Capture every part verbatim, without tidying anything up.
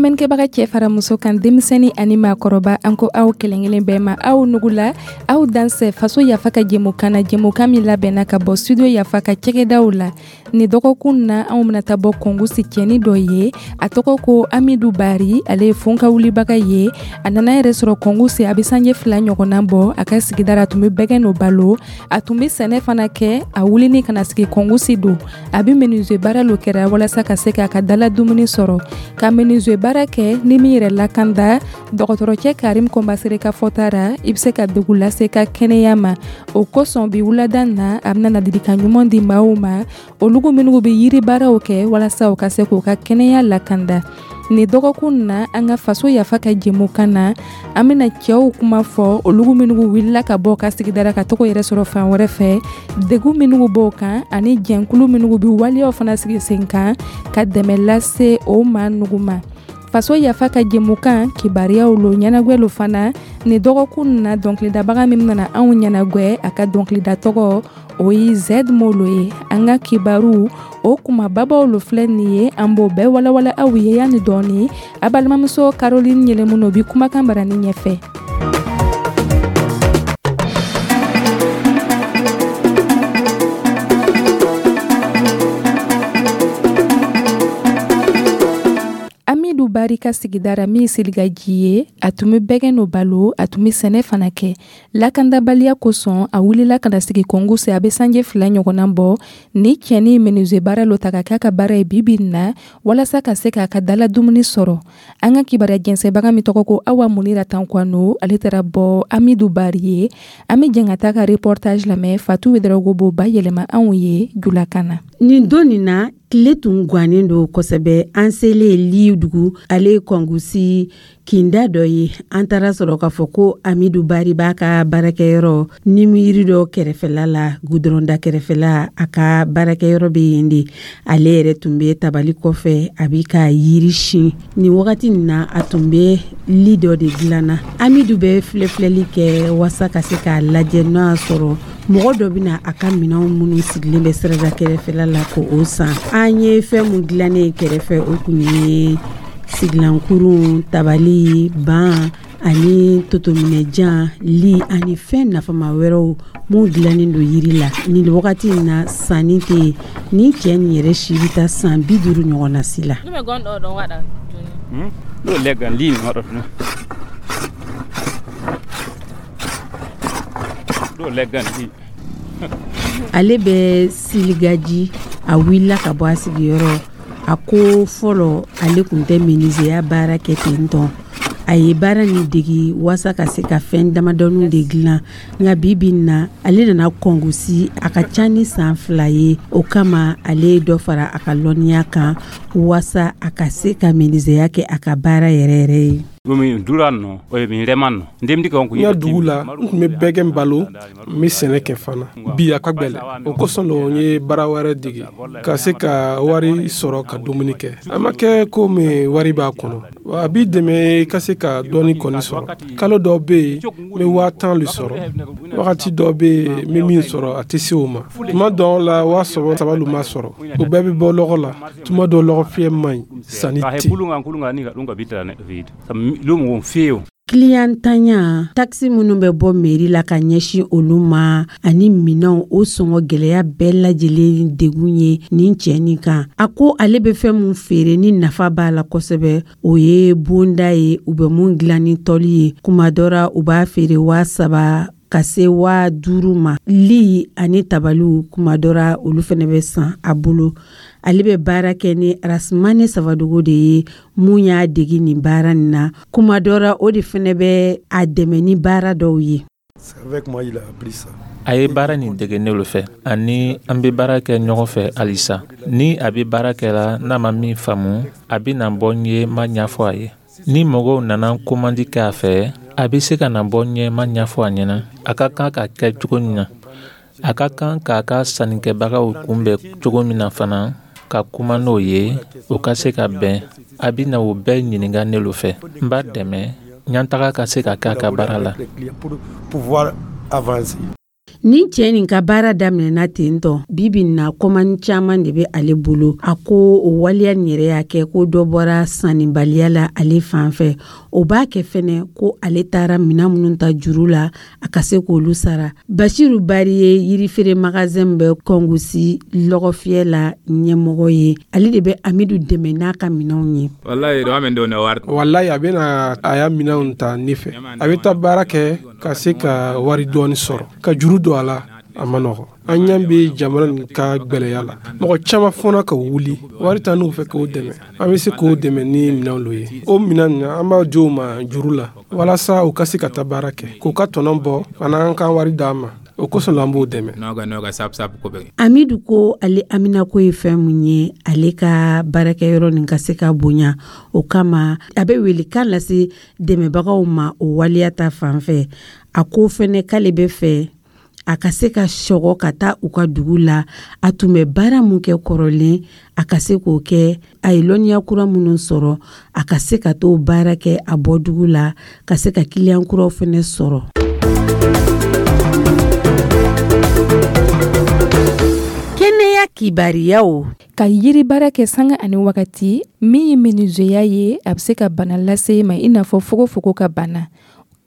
Lamɛnnikɛbaga cɛ fara muso kan, denmisɛnnin ani maakɔrɔba, an ko aw kelenkelen bɛɛ ma, aw nugula, aw dansɛ Faso Yafa ka jɛmukan na, jɛmukan min labɛnna ka bɔ Studio Yafa ka cɛgɛdaw la. Ni dɔgɔkun na, anw bɛna taa bɔ Kongosi cɛni dɔ ye, a tɔgɔ ko Amidu Bari. Ale ye fonka wulibaga ye. A nana yɛrɛ sɔrɔ Kongosi, a bɛ sanje fila ɲɔgɔnna bɔ. A ka sigida la, a tun bɛ bɛgɛn no balo, a tun bɛ sɛnɛ fana kɛ. A wulini ka na sigi Kongosi don, a bɛ menuisier baara lo kɛra walasa ka se k'a ka dala dumuni sɔrɔ. Ka menuisier baara kɛ ni min yɛrɛ lakanda, dɔgɔtɔrɔcɛ Karim Kɔnbasere ka fɔta ra, i bɛ se ka degun lase ka kɛnɛya ma. O kosɔn, bi wulada na, a bɛna ladilikan ɲuman di maaw ma, olugu minnu bɛ yiri baaraw kɛ, walasa u ka se k'u ka kɛnɛya lakanda. Nin dɔgɔkun na, an ka Faso Yafa ka jɛmukan na, an bɛna cɛw kuma fɔ, olugu minnu wulila ka bɔ ka sigida ka tɔgɔ yɛrɛ sɔrɔ fan wɛrɛ fɛ, degun minnu b'o kan, ani jɛnkulu minnu bɛ waleyaw fana sigi sen kan ka dɛmɛ lase o maa nugu ma. Faso Yafa ka jɛmukan, kibaruyaw lo, ɲɛnagwɛ lo fana. Nin dɔgɔkun na, dɔnkilidabaga min nana anw ɲɛnagwɛ, a ka dɔnkilida tɔgɔ o ye Zed Molo ye. An ka kibaru o kumababaw lo filɛ nin ye, an b'o bɛɛ walawala aw ye yanni dɔɔni. A balimamuso Caroline Yɛlɛmuno bi kumakan barani ɲɛfɛ. Amidu Bari ka sigidara min Siligaji ye, a tun bɛ bɛgɛn no balo, a tun bɛ sɛnɛ fana kɛ. Lakandabaliya kosɔn, a wulila ka na sigi Kongosi, a bɛ sanje fila ɲɔgɔnna bɔ. Ni cɛni menuisier baara lo ta ka k'a ka baara ye bi bi na, walasa ka se k'a ka dala dumuni sɔrɔ. An ka kibaruya jɛnsɛnbaga min tɔgɔ ko Awa Munira Tankwano, ale taara bɔ Amidu Bari ye. An bɛ jɛn ka taa ka reportage lamɛn. Fatu Wedarawogo b'o bayɛlɛma anw ye julakan na. Nin don nin na, tile tun gannen don kosɛbɛ. An selen Lidugu, ale ye Kɔngusi kinda dɔ ye, an taara sɔrɔ k'a fɔ ko Amidu Bari b'a ka baarakɛyɔrɔ nimiri dɔ kɛrɛfɛla la, gudɔrɔnda kɛrɛfɛla, a ka baarakɛyɔrɔ bɛ yen de. Ale yɛrɛ tun bɛ tabali kɔfɛ, a bɛ ka yiri sin. Nin wagati nin na, a tun bɛ li dɔ de dilanna. Amidu bɛ filɛfilɛli kɛ wasa ka se k'a lajɛ n'o y'a sɔrɔ mɔgɔ dɔ bɛna a ka minɛnw minnu sigilen bɛ sirada kɛrɛfɛla la ko o san. An ye fɛn mun dilannen kɛrɛfɛ, o kun ye sigilankurun, tabali, ban ani totominɛjan, li ani fɛn nafama wɛrɛw mun dilannen don yiri la. Nin wagati in na, sanni tɛ yen. Nin cɛ nin yɛrɛ si bɛ taa san bi duuru ɲɔgɔn na si la. Ale bɛ Siligaji. A wulila ka bɔ a sigiyɔrɔ. A ko fɔlɔ, ale tun tɛ menuisier baara kɛ ten tɔn. A ye baara nin degi wasa ka se ka fɛn damadɔninw de dilan, nka bi bi na, ale nana Kɔngusi, a ka ca ni san fila ye. O kama, ale ye dɔ fara a ka lɔnniya kan wasa a ka se ka menuisier kɛ a ka baara yɛrɛ yɛrɛ ye. N ka dugu la, n tun bɛ bɛgɛn balo, n bɛ sɛnɛ kɛ fana. Bi, a ka gwɛlɛ. O kosɔn lo n ye baara wɛrɛ dege ka se ka wari sɔrɔ ka dumuni kɛ. A ma kɛ komi wari b'a kɔnɔ, a b'i dɛmɛ i ka se ka dɔɔni kɔni sɔrɔ. Kalo dɔw bɛ yen, n bɛ waa tan le sɔrɔ. Wagati dɔw bɛ yen, n bɛ min sɔrɔ, a tɛ se o ma. Tuma dɔw la, waa saba saba lu ma sɔrɔ. O bɛɛ bɛ bɔ lɔgɔ la. Tuma dɔw, lɔgɔ fiyɛ man ɲi, sanni tɛ. Kiliyantanya, takisi minnu bɛ bɔ meri la ka ɲɛsin olu ma, ani minɛnw o sɔngɔ gɛlɛya bɛɛ lajɛlen degun ye nin cɛ nin kan. A ko ale bɛ fɛn mun feere ni nafa b'a la kosɛbɛ, o ye bonda ye, u bɛ mun dilan ni tɔli ye. Kuma dɔ la, u b'a feere waa saba ka se waa duuru ma. Li ani tabaliw, kuma dɔ la, olu fana bɛ san a bolo. Ale bɛ baara kɛ ni Arasimani Sabadogo de ye, mun y'a degi nin baara nin na. Kuma dɔ la, o de fana bɛ a dɛmɛ ni baara dɔw ye. A ye baara nin dege ne lo fɛ, ani an bɛ baara kɛ ɲɔgɔn fɛ halisa. Ni a bɛ baara kɛra, n'a ma min faamu, a bɛ na bɔ n ye, ma ɲɛfɔ a ye. Ni mɔgɔw nana komandi kɛ a fɛ, a bɛ se ka na bɔ n ye, ma ɲɛfɔ a ɲɛna a ka kan ka kɛ cogo min na. A ka kan k'a ka sannikɛbagaw kunbɛn cogo min na fana, ka kuma n'o ye, o ka se ka bɛn. A bɛ na o bɛɛ ɲininka ne lo fɛ. N b'a dɛmɛ ɲɛtaga ka se ka kɛ a ka baara la. Ni cɛ nin ka baara daminɛna ten tɔ, bi bi na kɔmani caman de bɛ ale bolo. A ko o waleya nin yɛrɛ y'a kɛ ko dɔ bɔra sannibaliya la ale fan fɛ. O b'a kɛ fɛnɛ ko ale taara minɛn minnu ta juru la, a ka se k'olu sara. Basiru Bari ye yirifeere magasin bɛ Kɔngusi lɔgɔfiyɛ la ɲɛmɔgɔ ye. Ale de bɛ Amidu dɛmɛ n'a ka minɛnw ye. Walayi, a bɛna a ya minɛnw ta ne fɛ. A bɛ taa baara kɛ ka se ka wari dɔɔni sɔrɔ, ka juru don a la. A ma nɔgɔ. An ɲɛ bɛ jamana nin ka gwɛlɛya la. Mɔgɔ caman fɔna ka wuli, wari t'an n'u fɛ k'o dɛmɛ. An bɛ se k'o dɛmɛ ni minɛnw lo ye. O minɛn ninnu, an b'a di u ma juru la walasa u ka se ka taa baara kɛ, k'u ka tɔnɔ bɔ fana, an ka wari d'an ma. O kosɔn la an b'o dɛmɛ. Amidu ko ale haminako ye fɛn mun ye, ale ka baarakɛyɔrɔ nin ka se ka bonya. O kama a bɛ welekan lase dɛmɛbagaw ma o waleya ta fan fɛ. A ko fɛnɛ k'ale bɛ fɛ a ka se ka sɔgɔ ka taa u ka dugu la. A tun bɛ baara mun kɛ kɔrɔlen, a ka se k'o kɛ. A ye lɔnniya kura minnu sɔrɔ, a ka se ka t'o baara kɛ a bɔ dugu la, ka se ka kiliyan kuraw fɛnɛ sɔrɔ. Kɛnɛya kibariyaw. Ka yiri baara kɛ sanga ani wagati min ye menuisier ye, a bɛ se ka bana lase i ma, i n'a fɔ fogofogo ka bana.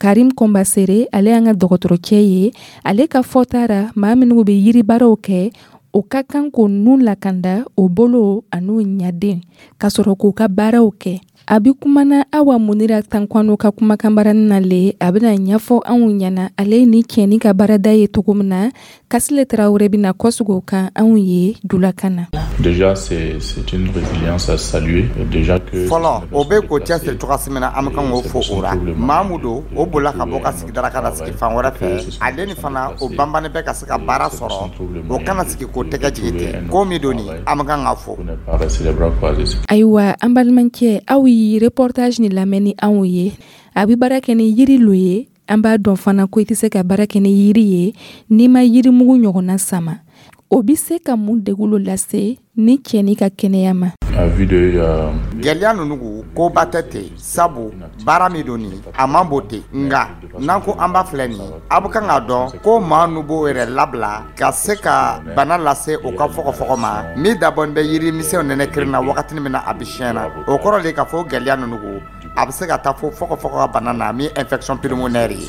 Karim Kɔnbasere, ale y'an ka dɔgɔtɔrɔcɛ ye. Ale ka fɔta ra, maa minnu bɛ yiri baaraw kɛ, o ka kan k'o nun lakanda, o bolo an'o ɲaden, ka sɔrɔ k'u ka baaraw kɛ. A bɛ kumana Awa Munira Tankwano ka kumakanbarani na le, a bɛna ɲɛfɔ anw ɲɛna ale ni cɛni ka baarada ye cogo min na. Kasile Tarawele bɛna kɔsegin o kan anw ye julakan na. Déjà, c'est, c'est une résilience à saluer. Déjà que fɔlɔ, o bɛ k'o cɛsiri cogoya min na, an bɛ kan k'o fo o ra. Maa mun don, o bolila ka bɔ ka sigida ka na sigi fan wɛrɛ fɛ. Ale ni fana o banbannen bɛ ka se ka baara sɔrɔ, o kana sigi k'o tɛgɛ jigin ten. Ko min don nin, an bɛ kan k'a fo. Ayiwa, an balimakɛ, aw ye reportage ni lamɛn ni anw ye. A bɛ baara kɛ ni yiri lo ye. An b'a dɔn fana ko i tɛ se ka baara kɛ ni yiri ye n'i ma yirimugu ɲɔgɔnna sama. O bɛ se ka mun degun lo lase ni cɛni ka kɛnɛya ma? Gɛlɛya ninnu koba tɛ ten, sabu baara min don nin, a man bon ten. Nka n'an ko an b'a filɛ nin, a bɛ kan k'a dɔn ko maa nu b'o yɛrɛ labila ka se ka bana lase o ka fɔgɔfɔgɔ ma min dabɔn bɛ yirimisɛnw nɛnɛ kirin na wagati min na a bɛ siɲɛ na. O kɔrɔ de k'a fɔ gɛlɛya ninnu a bɛ se ka taa fo fɔgɔfɔgɔ ka bana na min infection pulmonaire ye.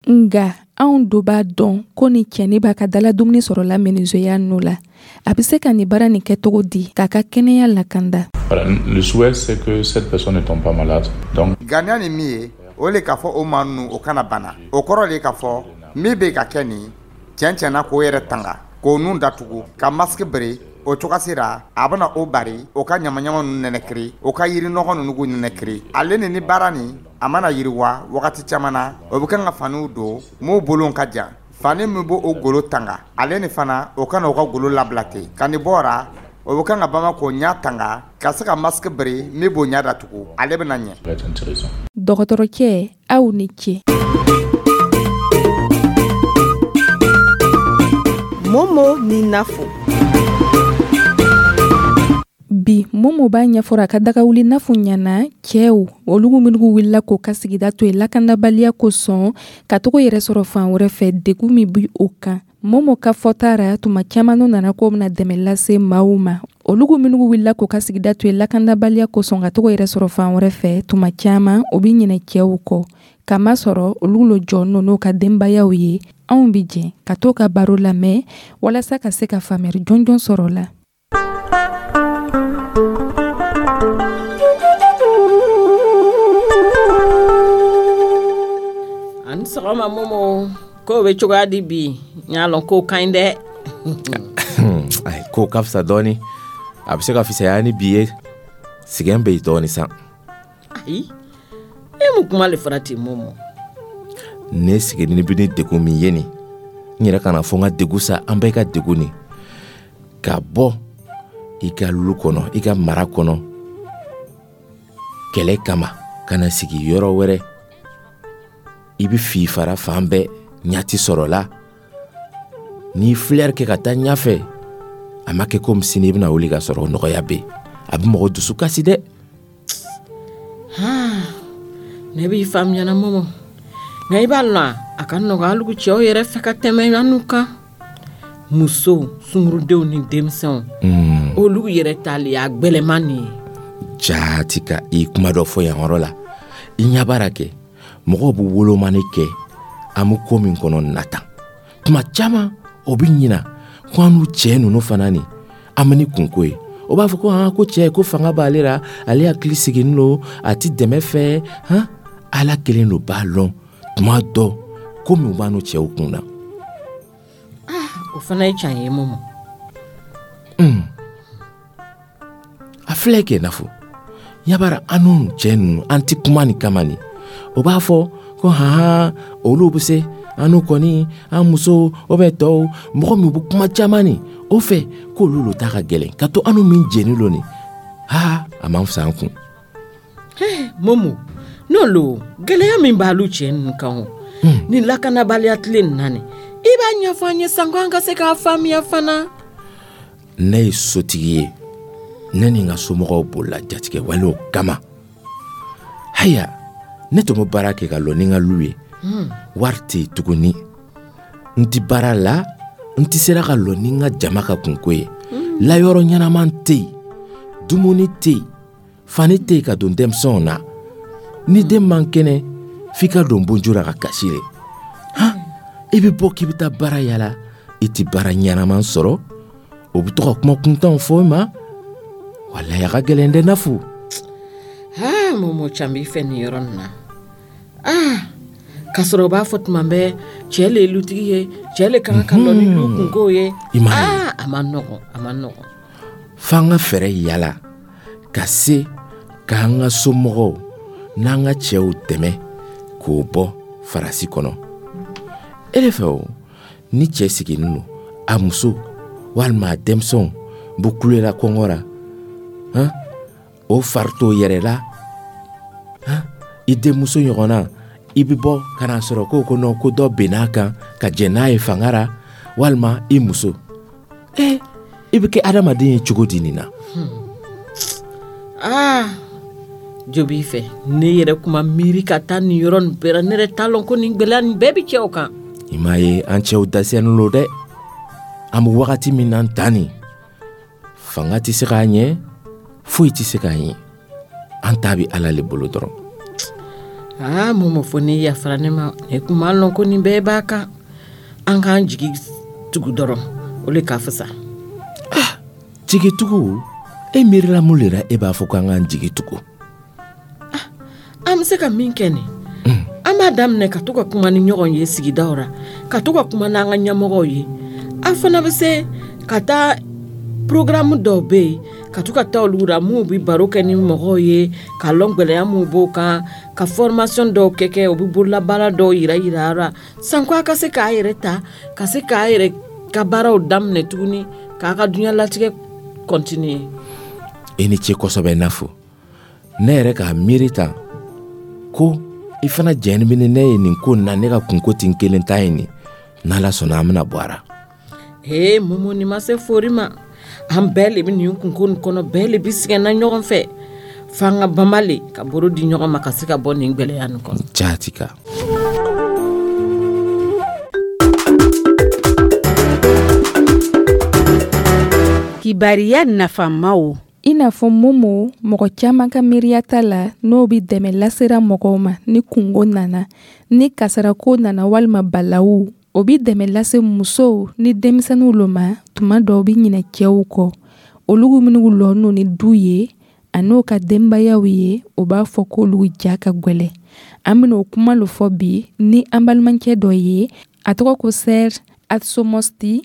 Nka anw do b'a dɔn ko ni cɛni b'a ka dala dumuni sɔrɔ la menuisier nu la, a bɛ se ka nin baara nin kɛ cogo di k'a ka kɛnɛya lakanda? Le souhait, c'est que cette personne ne tombe pas malade. Donc ganiya ni min ye, o le k'a fɔ o maa ninnu o kana bana. O kɔrɔ de k'a fɔ min bɛ ka kɛ nin tiɲɛ tiɲɛna, k'o yɛrɛ tanga, k'o nun datugu, ka masque bere. O cogoya sera a bɛna o bari o ka ɲamaɲama ninnu nɛnɛkiri, o ka yiri nɔgɔ ninnu k'u nɛnɛkiri. Ale ni ni baara nin a mana yiriwa wagati caman na, o bɛ kan ka faniw don m'o bolo ka jan. Fani min b'o o golo tanga, ale ni fana o kana o ka golo labila ten. Ka nin bɔra, o bɛ kan ka bama k'o ɲɛ tanga, ka se ka masque bere min b'o ɲɛ datugu, ale bɛna ɲɛ. Dɔgɔtɔrɔcɛ, aw ni ce. Momo ni Nafo. Bi Momo b'a ɲɛfɔra a ka dagawuli Nafo ɲɛna. Cɛw olu minnu wulila k'o ka sigida to yen lakanabaliya kosɔn, ka togo yɛrɛ sɔrɔ fan wɛrɛ fɛ, degun min bi o kan. Momo ka fɔta ra, tuma caman n'u nana k'o bɛna dɛmɛ lase maaw ma, olu minnu wulila k'o ka sigida to yen lakanabaliya kosɔn, ka togo yɛrɛ sɔrɔ fan wɛrɛ fɛ, tuma caman o bi ɲinɛ cɛw kɔ, kamasɔrɔ olu lo jɔ n'u ka denbayaw ye. Anw bi jɛ ka t'o ka baro lamɛn walasa ka se ka faamuyali jɔnjɔn sɔrɔ la. Ani sɔgɔma Momo, ko bɛ cogoya di bi? N y'a lɔn ko ka ɲi dɛ. Ko ka fisa dɔɔni, a bɛ se ka fisaya ni bi ye. Sɛgɛn bɛ yen dɔɔni san. Ayi, e mun kuma le fɔra ten Momo? Ne sigilen bɛ ni degun min ye nin, n yɛrɛ kana fɔ n ka degun sa, an bɛɛ ka degun nin. Ka bɔ i ka lu kɔnɔ, i ka mara kɔnɔ, kɛlɛ kama, ka na sigi yɔrɔ wɛrɛ, i bɛ fifara fan bɛɛ, ɲa ti sɔrɔ la. N'i filɛri kɛ ka taa ɲɛfɛ, a ma kɛ komi sini i bɛna wuli ka sɔrɔ nɔgɔya bɛ yen. A bɛ mɔgɔ dusu kasi dɛ. Ne b'i faamuyana Momo. Nka i b'a lɔn a ka nɔgɔ alugu cɛw yɛrɛ fɛ ka tɛmɛ anu kan. Musow, sungurudenw ni denmisɛnw, mm. olu yɛrɛ ta le y'a gwɛlɛman nin ye. Jaati ka i kuma dɔ fɔ yan yɔrɔ la. I ɲɛ b'a ra kɛ mɔgɔw bɛ wolomani kɛ an bɛ ko min kɔnɔ nata tuma caman, o bɛ ɲina ko an n'u cɛ ninnu fana nin, an bɛ ni kunko ye. O b'a fɔ ko han, ko cɛ ko fanga b'ale la, ale hakili sigilen don, a ti dɛmɛ fɛ. Han, Ala kelen lo b'a lɔn tuma dɔ ko min b'a n'u cɛw kun na. O fana ye can ye, Momo. Mm. A filɛ kɛ Nafo yabara, an n'u cɛ ninnu, an ti kuma nin kama nin. O b'a fɔ ko han, olu bɛ se, an n'u kɔni, an musow o bɛ tɔw mɔgɔ min bɛ kuma caman nin o fɛ, k'olu lo ta ka gɛlɛn ka to an min jeni lo nin. Ha, a man fisa an kun. Momo, n'o lo gɛlɛya min b'alu cɛ ninnu kan o ni lakanabaliya tile nin na nin, i b'a ɲɛfɔ an ye sanko an ka se k'a faamuya fana. Ne ye sotigi ye, ne ni n ka somɔgɔw bolila jatigɛ walew kama. Haya, ne tun bɛ baara kɛ ka lɔ ni n ka lu ye. Wari tɛ yen tuguni, n ti baara la, n ti sera ka lɔ ni n ka jama ka kunko ye. Layɔrɔ ɲɛnaman tɛ yen, dumuni tɛ yen, fani tɛ yen ka don denmisɛnw na. Ni den man kɛnɛ, f'i ka don bonjo la ka kasi le. Han, i bɛ bɔ k'i bɛ taa baara yala, i ti baara ɲɛnaman sɔrɔ, o bɛ to ka kuma kuntanw fɔ i ma. Walayi, a ka gɛlɛn dɛ, Nafu. Aa Momo, can b'i fɛ nin yɔrɔ nin na. Aa, k'a sɔrɔ u b'a fɔ tuma bɛɛ cɛ le ye lutigi ye, cɛ le ka kan ka lɔ ni lu kunkow ye. I m'a ye. Aa, a ma nɔgɔn, a ma nɔgɔn. F'an ka fɛɛrɛ yala ka se k'an ka somɔgɔw n'an ka cɛw dɛmɛ k'o bɔ farasi kɔnɔ. E de fɛ o, ni cɛ sigilen don, a muso walima a denmisɛnw bɛ kulela kɔngɔ la, han, o fari t'o yɛrɛ la, han, i denmuso ɲɔgɔnna, i bɛ bɔ ka n'a sɔrɔ ko ko non, ko dɔ benn'a kan ka jɛn n'a ye fanga ra, walima i muso, e i bɛ kɛ adamaden ye cogo di nin na? Aa, jo b'i fɛ. Ne yɛrɛ kuma miiri ka taa nin yɔrɔ nin bɛɛ la, ne yɛrɛ t'a lɔn ko nin gwɛlɛya nin bɛɛ bi cɛw kan. I m'a ye, an cɛw dɛsɛlen lo dɛ. An bɛ wagati min na tan nin, fanga tɛ se k'a ɲɛ, foyi tɛ se k'a ɲɛ, an ta bɛ Ala le bolo dɔrɔn. Aa Momo, fo n'i yafara ne ma, ne kun m'a lɔn ko nin bɛɛ b'a kan. An k'an jigi tugu dɔrɔn, o le ka fisa. Jigitugu, e miirila mun le la e b'a fɔ k'an k'an jigi tugu? An bɛ se ka min kɛ nin, an b'a daminɛ ka to ka kuma ni ɲɔgɔn ye sigidaw ra, ka to ka kuma n'an ka ɲɛmɔgɔw ye. An fana bɛ se ka taa programme dɔw bɛ yen, ka to ka taa olu ra minnu bɛ baro kɛ ni mɔgɔw ye k'a lɔn gwɛlɛya minnu b'o kan, ka formation dɔw kɛ kɛ, u bɛ bololabaara dɔw yira yira ra sanko a ka se k'a yɛrɛ ta, ka se k'a yɛrɛ ka baaraw daminɛ tuguni, k'a ka diɲɛlatigɛ continuer. I ni ce kosɛbɛ, Nafo. Ne yɛrɛ k'a miiri tan ko i fana jɛni bɛ ni ne ye nin ko na. Ne ka kunko ti n kelen ta ye nin. N'Ala sɔnna, an bɛna bɔ a ra. Ee Momo, nin ma se fori ma. An bɛɛ le bɛ nin kunko nin kɔnɔ, bɛɛ le bɛ sɛgɛnna ɲɔgɔn fɛ. F'an ka banba le ka boro di ɲɔgɔn ma ka se ka bɔ nin gwɛlɛya nin kɔnɔ. Jaati ka. Kibariya nafamaw. I n'a fɔ Momo, mɔgɔ caman ka miiriya t'a la n'o bɛ dɛmɛ lasera mɔgɔw ma ni kungo nana, ni kasarako nana walima balawu. O bɛ dɛmɛ lase musow ni denmisɛnninw lo ma. Tuma dɔw bɛ ɲinɛ cɛw kɔ, olu minnu lɔ ni du ye an'o ka denbayaw ye, o b'a fɔ k'olu ja ka gwɛlɛ. An bɛna o kuma lo fɔ bi ni an balimakɛ dɔ ye, a tɔgɔ ko Serge Atsomosti.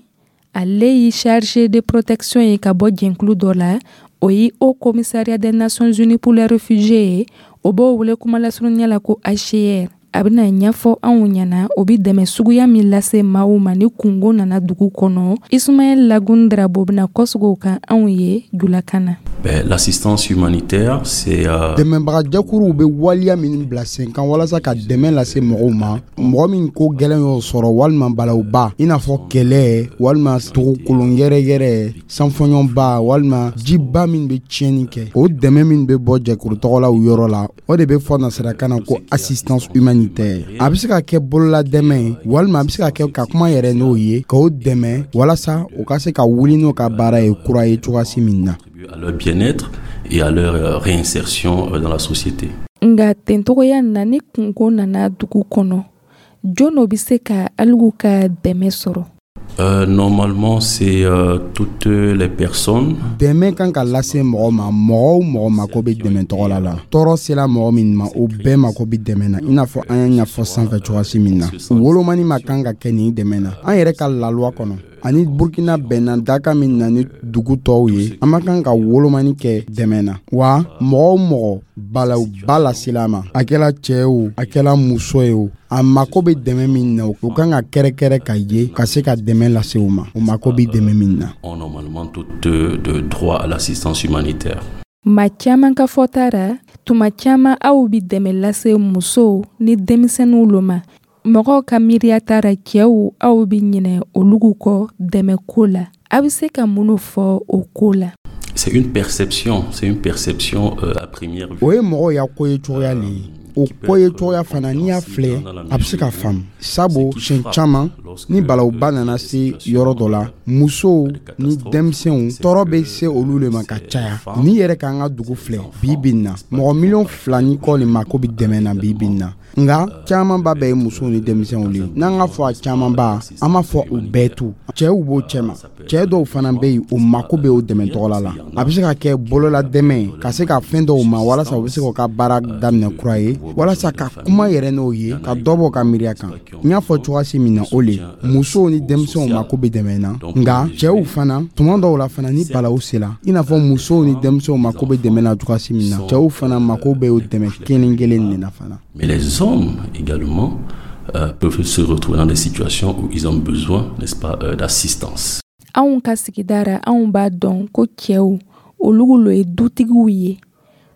Ale ye chargé de protection ye ka bɔ jɛnkulu dɔ la, o ye Haut Commissariat des Nations Unies pour les réfugiés ye, o b'o wele kuma lasurunya la ko H C R. A bɛna ɲɛfɔ anw ɲɛna o bɛ dɛmɛ suguya min lase maaw ma ni kungo nana dugu kɔnɔ. Ismaël Lagun Drabo bɛna kɔsegin o kan anw ye julakan na. Ben, l'assistance humanitaire, c'est euh... dɛmɛbagajɛkuruw bɛ waleya min bila sen kan walasa ka dɛmɛ lase mɔgɔw ma, mɔgɔ min ko gɛlɛn y'o sɔrɔ walima balawba, i n'a fɔ kɛlɛ walima dugukolon yɛrɛyɛrɛ, sanfɔɲɔba walima jiba min bɛ tiɲɛni kɛ. O dɛmɛ min bɛ bɔ jɛkuru tɔgɔlaw yɔrɔ la, o de bɛ fɔ nasarakan na ko assistance humanitaire. min tɛ. A bɛ se ka kɛ bolola dɛmɛ ye, walima a bɛ se ka kɛ ka kuma yɛrɛ n'o ye, k'o dɛmɛ walasa u ka se ka wuli n'o ka baara ye kura ye cogoyasi min na. À leur bien-être et à leur réinsertion dans la société. Nka tencogoya na, ni kunko nana dugu kɔnɔ, jɔn o bɛ se ka alugu ka dɛmɛ sɔrɔ? Euh, normalement, c'est euh, toutes les personnes. Dɛmɛ kan ka lase mɔgɔ ma, mɔgɔ o mɔgɔ mako bɛ dɛmɛ tɔgɔ la la Tɔɔrɔ sera mɔgɔ min ma, o bɛɛ mako bɛ dɛmɛ na. I n'a fɔ an y'a ɲɛfɔ sanfɛ cogoyasi min na, wolomani ma kan ka kɛ nin dɛmɛ na. An yɛrɛ ka laluwa kɔnɔ ani Burkina bɛnna daka min na ni dugu tɔw ye, an ma kan ka wolomani kɛ dɛmɛ na. Wa mɔgɔ o mɔgɔ balawba lasela ma, a kɛla cɛɛ o, a kɛla muso ye o, a mako bɛ dɛmɛ min na, o kan ka kɛrɛkɛrɛ ka ye ka se ka dɛmɛ lase o ma, o mako bɛ dɛmɛ min na. Ont normalement tout de, de droit à l'assistance humanitaire. Ma caman ka fɔta ra, tuma caman aw bi dɛmɛ lase musow ni denmisɛnninw lo ma. Mɔgɔw ka miiriya tara, cɛw aw bi ɲinɛ olugu kɔ dɛmɛ ko la. A bɛ se ka minnu fɔ o ko la? C'est une perception, c'est une perception euh, à première vue. O ye mɔgɔw ya ko ye cogoya le ye. O ko ye cogoya fana, n'i y'a filɛ, a bɛ se ka faamu, sabu siɲɛ caman ni balawba nana se yɔrɔ dɔ la, musow ni denmisɛnw tɔɔrɔ bɛ se olu le ma ka caya. N'i yɛrɛ k'an ka dugu filɛ bi bi in na, mɔgɔ miliyɔn fila ni kɔ le mako bɛ dɛmɛ na bi bi in na. Nka camanba bɛɛ ye musow ni denmisɛnw le ye. N'an ka fɔ a camanba, an b'a fɔ u bɛɛ to, cɛw b'o cɛma, cɛɛ dɔw fana bɛ yen, o mako bɛ o dɛmɛ tɔgɔla la. A bɛ se ka kɛ bolola dɛmɛ ka se ka fɛn dɔw ma walasa u bɛ se k'u ka baara daminɛ kura ye, walasa ka kuma yɛrɛ n'o ye, ka dɔ bɔ ka miiriya kan. N y'a fɔ cogoyasi min na, o le musow ni denmisɛnw mako bɛ dɛmɛ na. Nka cɛw fana, tuma dɔw la fana, ni balawu sera, i n'a fɔ musow ni denmisɛnw mako bɛ dɛmɛ na cogoyasi min na, cɛw fana mako bɛ o dɛmɛ kelen kelen de na fana. Mais les hommes également euh, peuvent se retrouver dans des situations où ils ont besoin, n'est-ce pas, euh, d'assistance. Anw ka sigida ra, anw b'a dɔn ko cɛw olugu lo ye dutigiw ye.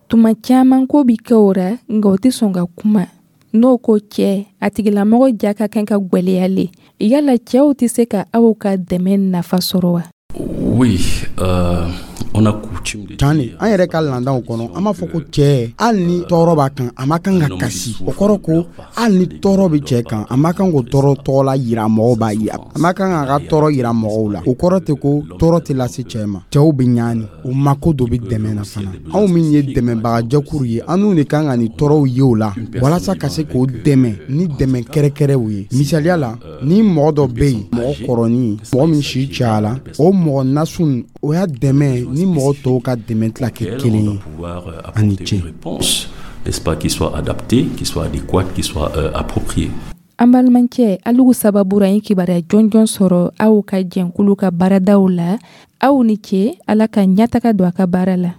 Tuma caman ko bi kɛ o ra, nka o tɛ sɔn ka kuma. N'o ko cɛ, a tigilamɔgɔ ja ka kan ka gwɛlɛya le. Yala cɛw tɛ se ka aw ka dɛmɛ nafa sɔrɔ wa? Oui, euh, on a coutume de Can de, an yɛrɛ ka landaw kɔnɔ, an b'a fɔ ko cɛɛ, hali ni tɔɔrɔ b'a kan, a ma kan ka kasi. O kɔrɔ ko hali ni tɔɔrɔ bɛ cɛɛ kan, a ma kan k'o tɔɔrɔ tɔgɔla yira mɔgɔw b'a ye, a ma kan k'a ka tɔɔrɔ yira mɔgɔw la. O kɔrɔ tɛ ko tɔɔrɔ tɛ lase cɛɛ ma. Cɛw bɛ ɲaani, o mako dɔ bɛ dɛmɛ na fana. Anw min ye dɛmɛbagajɛkuru ye, an n'u de kan ka nin tɔɔrɔw ye o la walasa ka se k'o dɛmɛ ni dɛmɛ kɛrɛkɛrɛw ye. Misaliya la, ni mɔgɔ dɔ bɛ yen, mɔgɔ kɔrɔnin, mɔgɔ min si cayala, o mɔgɔ nasun, o y'a dɛmɛ ni mɔgɔ tɔw ka dɛmɛ tila kɛ kelen ye. Ani ce. N'est-ce pas, qui soit adapté, qui soit adéquat, qui soit euh, approprié. An balimacɛ, alugu sababu ra, ye kibaruya jɔnjɔn sɔrɔ aw ka jɛnkulu ka baaradaw la. Aw ni ce, Ala ka ɲɛtaga don a ka baara la.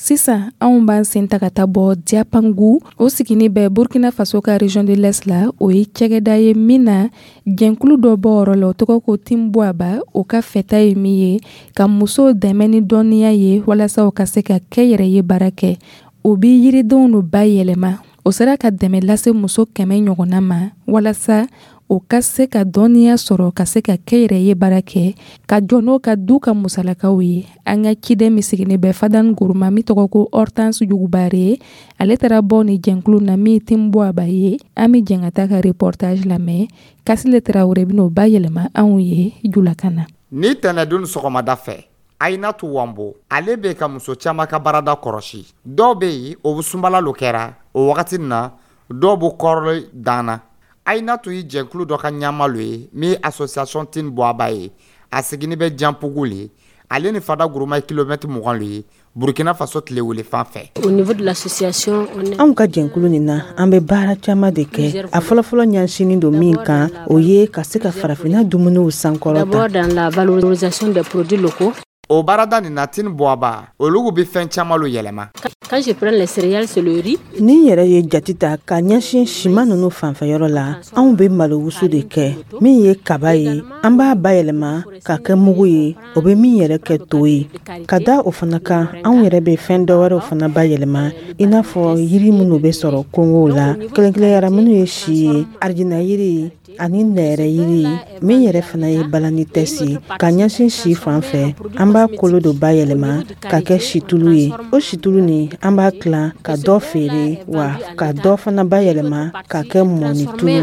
Sisan anw b'an sen ta ka taa bɔ Diapangu, o sigini bɛ Burkina Faso ka région de l'Est la. O ye cɛgɛda ye min na jɛnkulu dɔ bɔ yɔrɔ la, o tɔgɔ ko Timbuaba. O ka fɛta ye min ye, ka musow dɛmɛ ni dɔnniya ye walasa u ka se ka kɛ yɛrɛ ye baara kɛ. O bi yiridenw no bayɛlɛma. O sera ka dɛmɛ lase muso kɛmɛ ɲɔgɔnna ma walasa o ka se ka dɔnniya sɔrɔ, ka se ka kɛ yɛrɛ ye baara kɛ, ka jɔ n'o ka du ka musalakaw ye. An ka ciden min sigilen bɛ Fadan Guruma, min tɔgɔ ko Hortense Jugubare, ale taara bɔ ni jɛnkulu na min Timbuaba ye. An bɛ jɛn ka taa ka reportage lamɛn. Kasile Tarawele bɛn'o bayɛlɛma anw ye julakan na. Ni tɛnɛdon sɔgɔmada fɛ, Ayinatu Wambo, ale bɛ ka muso caman ka baarada kɔlɔsi. Dɔw bɛ yen, o bɛ sunbala lo kɛra o wagati na, dɔw bɛ kɔrɔli dan na. Ayinatu ye jɛnkulu dɔ ka ɲɛma lo ye min ye association Tinbuaba ye. A sigini bɛ Janpugu le. Ale ni Fada Guruma ye kilomɛtiri mugan le ye Burkina Faso tile wele fan fɛ. Au niveau de l'association, anw ka jɛnkulu nin na, an bɛ baara caman de kɛ. A fɔlɔfɔlɔ ɲɛsinin don min kan, o ye ka se ka farafinna dumuniw sankɔrɔta. D'abord dans la valorisation des produits locaux. O baarada nin na, Tinbuaba, olu bɛ fɛn caman lo yɛlɛma. Quand je prends les céréales, c'est le riz. Ni yɛrɛ ye jate ta ka ɲɛsin siman ninnu fanfɛyɔrɔ la, anw bɛ malo wusu de kɛ. Min ye kaba ye, an b'a bayɛlɛma ka kɛ mugu ye, o bɛ min yɛrɛ kɛ to ye. Ka da o fana kan, anw yɛrɛ bɛ fɛn dɔ wɛrɛw fana bayɛlɛma, i n'a fɔ yiri minnu bɛ sɔrɔ kongow la, kelenkelenyara minnu ye si ye, arijina yiri, ani nɛrɛyiri min yɛrɛ fana ye balanites ye ka ɲɛsin si fan fɛ. An b'a kolo dɔ bayɛlɛma ka kɛ situlu ye. O situlu nin, an b'a tilan ka dɔ feere, wa ka dɔ fana bayɛlɛma ka kɛ mɔnitulu ye.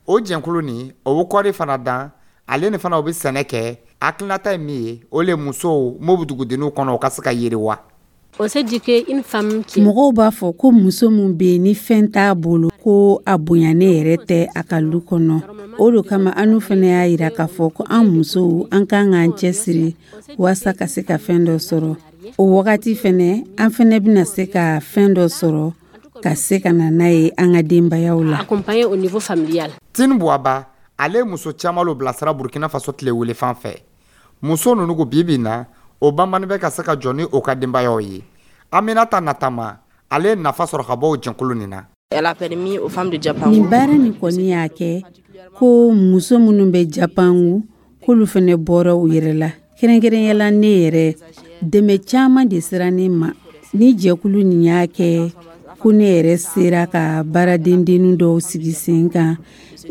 O jɛnkulu nin, o bɛ kɔɔri fana dan. Ale ni fana, o bɛ sɛnɛ kɛ. Hakilinata ye min ye, o le musow m'o bɛ dugudenninw kɔnɔ, o ka se ka yiriwa. Mɔgɔw b'a fɔ ko muso min bɛ yen ni fɛn t'a bolo, ko a bonyanen yɛrɛ tɛ a ka lu kɔnɔ. O de kama an fana y'a jira k'a fɔ ko an musow, an kan k'an cɛsiri walasa ka se ka fɛn dɔ sɔrɔ. O wagati fana, an fana bɛna se ka fɛn dɔ sɔrɔ ka se ka na n'a ye an ka denbayaw la. Tini Buwaba, ale muso caman lo bilasira Burkina Faso tile wele fan fɛ. Muso ninnu ko bi bi na, o banbani bɛ ka se ka jɔ ni o ka denbayaw ye. Aminata Natama, ale ye nafa sɔrɔ ka bɔ o jɛnkulu nin na. Nin baara nin kɔni y'a kɛ ko muso minnu bɛ Japangu, k'olu fana bɔra u yɛrɛ la. Kɛrɛnkɛrɛnya la, ne yɛrɛ, dɛmɛ caman de sera ne ma. Ni jɛkulu nin y'a kɛ ko ne yɛrɛ sera ka baaradendennin dɔw sigi sen kan,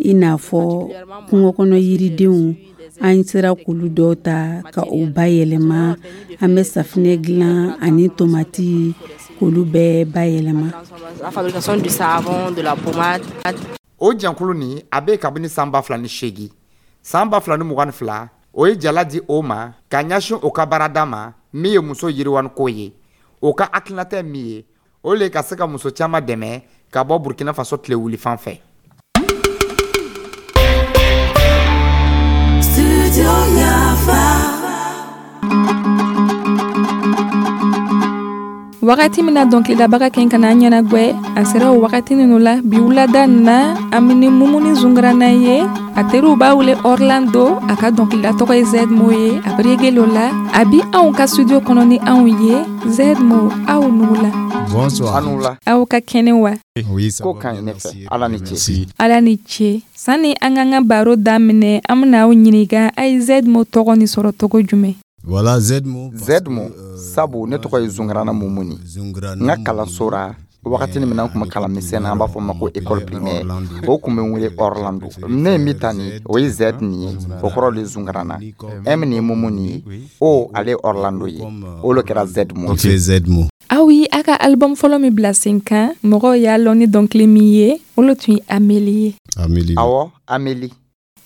i n'a fɔ kungo kɔnɔ yiridenw, an sera k'olu dɔw ta ka o bayɛlɛma. An bɛ safinɛ dilan ani tomati, k'olu bɛɛ bayɛlɛma. O jɛnkulu nin, a bɛ kabini san ba fila ni seegin. San ba fila ni mugan ni fila, o ye jala di o ma ka ɲɛsin o ka baarada ma min ye muso yiriwaniko ye. O ka hakilinata ye min ye, o le ka se ka muso caman dɛmɛ ka bɔ Burkina Faso tile wuli fan fɛ. Wagati min na dɔnkilidabaga kɛ ka na an ɲɛnagwɛ, a sera o wagati ninnu la. Bi wulada nin na, an bɛ ni Mumuni Zungrana ye. A teriw b'a wele Orlando, a ka dɔnkilida tɔgɔ ye Zedmo ye. A bɛ reggae lo la. A bi anw ka studio kɔnɔ ni anw ye. Zedmo, aw nugula. Bonsoir. Anu la. Aw ka kɛnɛ wa? Oui, ça ko va ka ɲi bien, ne fɛ. Merci. Ala ni ce. Merci. Ala ni ce. Sani an k'an ka baro daminɛ, an bɛna aw ɲininka, a ye Zedmo tɔgɔ nin sɔrɔ cogo jumɛn? Voilà, Zedmo. Zedmo, sabu ne tɔgɔ ye Zungrana Mumuni. N ka kalanso ra, wagati min na n kun bɛ kalan misɛn na, an b'a fɔ o ma ko école primaire, o kun bɛ n wele Orlando. Ne ye min ta nin, o ye Z nin ye, o kɔrɔ de ye Zungrana. M nin ye Mumuni ye, O ale ye Orlando ye. O le kɛra Zedmo. Ok, Zedmo. Aw ye a ka album fɔlɔ min bila sen kan, mɔgɔw y'a lɔn ni dɔnkili min ye, o le tun ye Ameli ye. Amélie. Awɔ, Ameli.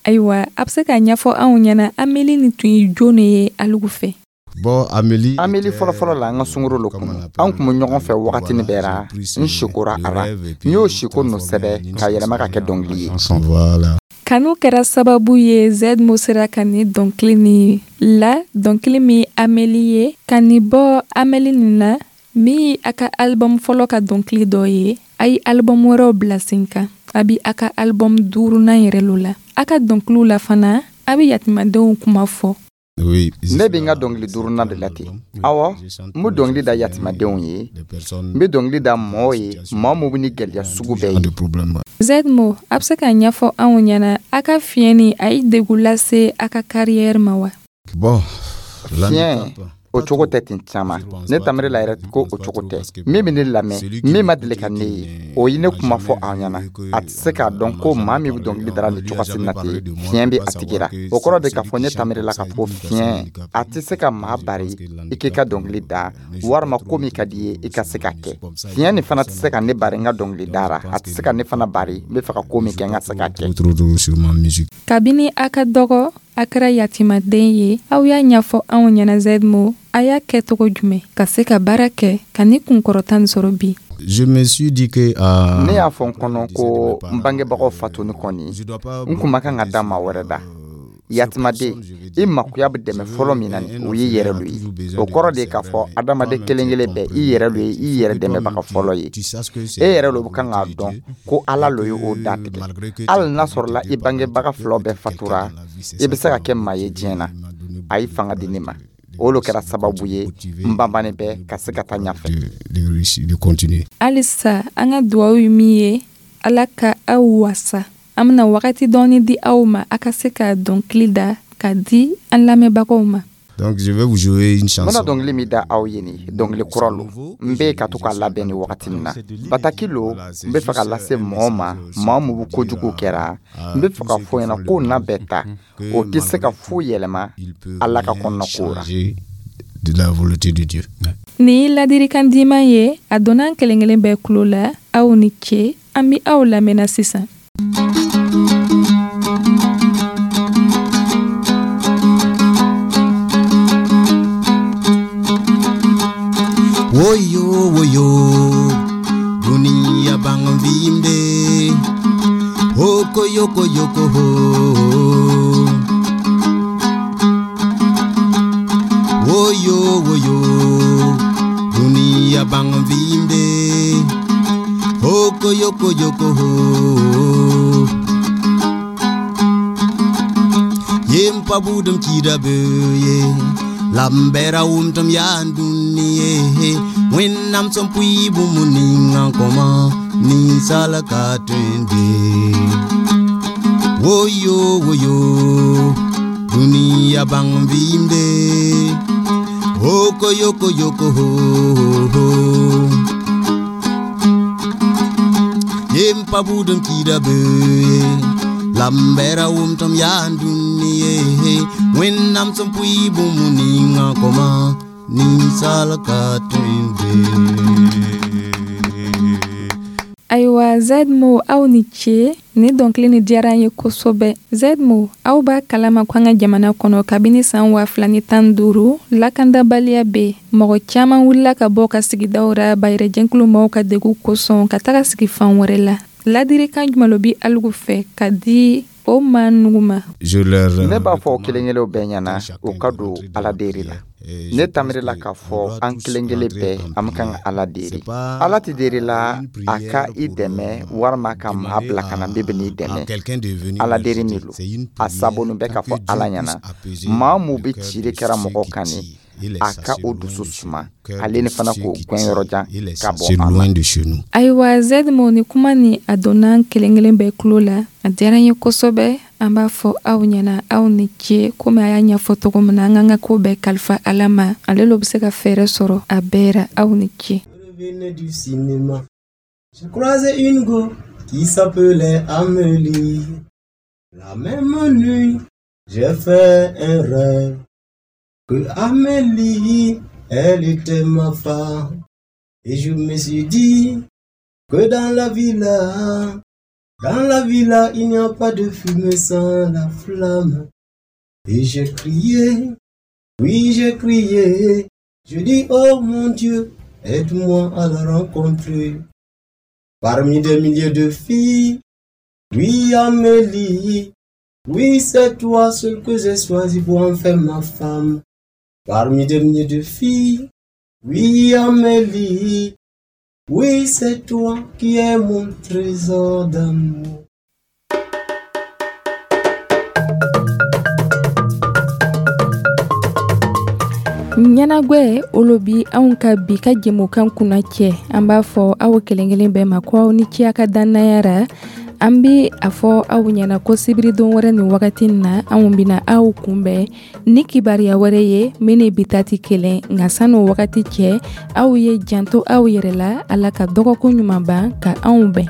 Ayiwa, a bɛ se k'a ɲɛfɔ anw ɲɛna, Ameli nin tun ye jɔn de ye alugu fɛ? Bon, Amélie. Ameli fɔlɔfɔlɔ la, an ka sunkuru lo kunu. An kun bɛ ɲɔgɔn fɛ wagati ni bɛɛ ra. N sikora a ra, n y'o siko nɔ sɛbɛ ka yɛlɛma ka kɛ dɔnkili ye. Voilà. Kanu kɛra sababu ye Zedmo sera ka nin dɔnkili nin la, dɔnkili min Ameli ye. Ka nin bɔ Ameli nin na, min ye a ka album fɔlɔ ka dɔnkili dɔ ye, a ye album wɛrɛw bila sen kan. A bi a ka album duurunan yɛrɛ lo la. A ka dɔnkiliw la fana, a bɛ yatimadenw kuma fɔ. Oui. Ne bɛ n ka dɔnkili duurunan de la ten. Awɔ, n bɛ dɔnkili da yatimadenw ye, n bɛ dɔnkili da mɔɔw ye, mɔɔ min bɛ ni gɛlɛya sugu bɛɛ ye. De problème. Zedmo, a bɛ se k'a ɲɛfɔ anw ɲɛna, a ka fiɲɛ nin, a ye degun lase a ka carrière ma wa? Bon. Fiɲɛ, o cogo tɛ ten caman. Ne tamiri la yɛrɛ ko o cogo tɛ. Min bɛ ne lamɛn, min ma deli ka ne ye, o ye ne kuma fɔ aw ɲɛna, a tɛ se k'a dɔn ko maa min bɛ dɔnkili dara nin cogoya na ten, fiɲɛ bɛ a tigi la. O kɔrɔ de k'a fɔ ne tamiri la k'a fɔ fiɲɛ a tɛ se ka maa bari i k'i ka dɔnkili da, walima ko min ka di i ye, i ka se ka kɛ. Fiɲɛ nin fana tɛ se ka ne bari n ka dɔnkili da ra. A tɛ se ka ne fana bari n bɛ fɛ ka ko min kɛ, n ka se k'a kɛ. Trop trop sur ma musique. Kabini a ka dɔgɔ, a kɛra yatimaden ye. Aw y'a ɲɛfɔ anw ɲɛna, Zedmo, a y'a kɛ cogo jumɛn ka se ka baara kɛ ka ni kunkɔrɔta nin sɔrɔ bi? Je me suis dit que euh, Ne y'a fɔ n kɔnɔ ko n bangebagaw fatuni kɔni, n kun ma kan ka da maa wɛrɛ da. Yatimaden, i makoya bɛ dɛmɛ fɔlɔ min na nin, o y'i yɛrɛ lo ye. O kɔrɔ de ye k'a fɔ adamaden kelen kelen bɛɛ, i yɛrɛ lo ye i yɛrɛ dɛmɛbaga fɔlɔ ye. E yɛrɛ lo bɛ kan k'a dɔn ko Ala lo ye o datigɛ. Hali n'a sɔrɔla i bangebaga filaw bɛɛ fatura, i bɛ se ka kɛ maa ye diɲɛ na. A ye fanga di ne ma, o lo kɛra sababu ye n banbannen bɛ ka se ka taa ɲɛfɛ. de, réussir, de continuer. Halisa, an ka duwawu ye min ye, Ala ka aw wasa. An bena wagati dɔɔni di aw ma, a ka se ka dɔnkili da ka di an lamɛnbagaw ma. Donc je vais vous jouer une N chanson. bɛna dɔnkili min da aw ye nin dɔnkili kura lo n bɛ ka to k'a labɛn ni wagati min na bataki lo n bɛ fɛ ka lase mɔgɔ ma maa mun bɛ kojugu kɛra n bɛ fɛ ka fɔ ɲɛna ko na bɛɛ ta o tɛ se ka foyi yɛlɛma ala ka kɔnɔna ko ra De la volonté de Dieu. Nin ye ladilikan diman ye a donna an kelen kelen bɛɛ tulo la aw ni ce an bɛ aw lamɛnna sisan. Woyo woyo dunia bang vimbe hoko yoko yoko ho Woyo woyo dunia bang vimbe hoko yoko yoko ho Yem pa budum kida be Lambera wum tam yan duniye Wen nam som pui bumuni nga ni salaka twende Woyo woyo dunia bang vimbe Hoko yoko yoko ho ho Yem pa budum kida be Lambera wum tam yan duniye Wen nam som pui bumuni nga koma ni salaka twende Ayiwa Zedmo aw ni ce ni dɔnkili ni diyara an ye kosɛbɛ. Zedmo aw b'a kalama ko an ka jamana kɔnɔ kabini san waa fila ni tan duuru lakandabaliya bɛ mɔgɔ caman wulila ka bɔ ka sigidaw ra bayɛrɛjɛnkulu maaw ka degun kosɔn ka taga sigi fan wɛrɛ la. Ladilikan jumɛn lo bi aligu fɛ ka di o maa nugu ma? Je leur Ne b'a fɔ o kelen kelenw bɛɛ ɲɛna u ka don ala deri la ne tamirila k'a fɔ an kelen kelen bɛɛ an bɛ kan ka ala deri ala tɛ deri la a ka i dɛmɛ walima ka maa bila ka na min bɛ n'i dɛmɛ ala deri min lo a sabu bɛ k'a fɔ ala ɲɛna maa mun bɛ cili kɛra mɔgɔ kan ni a ka o dusu suma ale ni fana k'o gɛn yɔrɔ jan ka bɔ c'est loin de chez nous. Ayiwa Zedmo ni kuma ni a donna an kelen kelen bɛɛ tulo la a diyara n ye kosɛbɛ an b'a fɔ aw ɲɛna aw ni ce komi a y'a ɲɛfɔ cogo min na an k'an ka ko bɛɛ kalifa ala ma ale lo bɛ se ka fɛɛrɛ sɔrɔ a bɛɛ ra aw ni ce. Revenais du cinéma. J'ai croisé une go qui s'appelait Amélie. La même nuit, j'ai fait un rêve que Amélie, elle était ma femme. Et je me suis dit que dans la villa, dans la villa, il n'y a pas de fumée sans la flamme. Et j'ai crié, oui, j'ai crié. Je dis, oh mon Dieu, aide-moi à la rencontrer. Parmi des milliers de filles, oui, Amélie, oui, c'est toi seule que j'ai choisi pour en faire ma femme. Parmi des milliers de filles, oui, Amélie, oui, c'est toi qui es mon trésor d'amour. Ɲɛnagwɛ olu bi anw ka bi ka jɛmukan kunna cɛ an b'a fɔ aw kelen kelen bɛɛ ma ko aw ni ce a ka dannaya ra an bi a fɔ aw ɲɛna ko sibiridon wɛrɛ nin wagati na anw bɛna aw kunbɛn ni kibaruya wɛrɛ ye min ni bi ta tɛ kelen nka san'o wagati cɛ aw ye janto aw yɛrɛ la ala ka dɔgɔkun ɲuman ban ka anw bɛn.